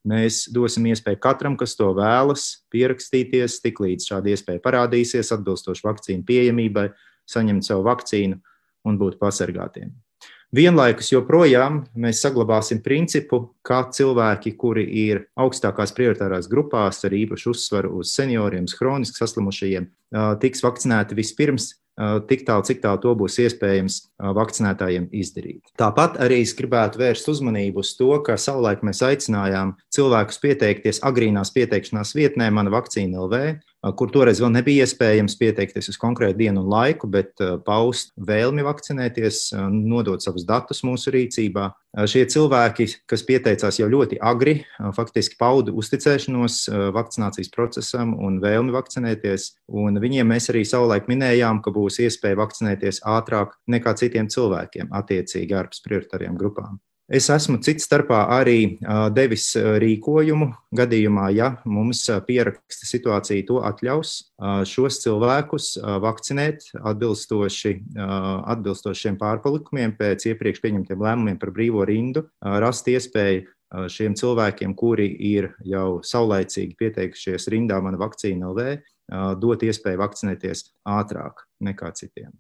Mēs dosim iespēju katram, kas to vēlas, pierakstīties, tiklīdz šāda iespēja parādīsies, atbilstoši vakcīnu pieejamībai, saņemt savu vakcīnu un būt pasargātiem. Vienlaikus joprojām mēs saglabāsim principu, ka cilvēki, kuri ir augstākās prioritārās grupās ar īpašu uzsvaru uz senioriem, hroniski saslimušajiem, tiks vakcinēti vispirms, tik tālu, cik tālu to būs iespējams vakcinētājiem izdarīt. Tāpat arī es gribētu vērst uzmanību uz to, ka savulaik mēs aicinājām cilvēkus pieteikties agrīnās pieteikšanās vietnē Mana vakcīna LV, kur toreiz vēl nebija iespējams pieteikties uz konkrētu dienu un laiku, bet paust vēlmi vakcinēties, nodot savus datus mūsu rīcībā. Šie cilvēki, kas pieteicās jau ļoti agri, faktiski pauda uzticēšanos vakcinācijas procesam un vēlmi vakcinēties, un viņiem mēs arī savulaik minējām, ka būs iespēja vakcinēties ātrāk nekā citiem cilvēkiem, attiecīgi ārpus prioritārajām grupām. Es esmu cits starpā arī devis rīkojumu gadījumā, ja mums pieraksta situācija to atļaus, šos cilvēkus vakcinēt atbilstoši šiem pārpalikumiem pēc iepriekš pieņemtiem lēmumiem par brīvo rindu, rast iespēju šiem cilvēkiem, kuri ir jau saulaicīgi pieteikušies rindā Mana vakcīna LV, dot iespēju vakcinēties ātrāk nekā citiem.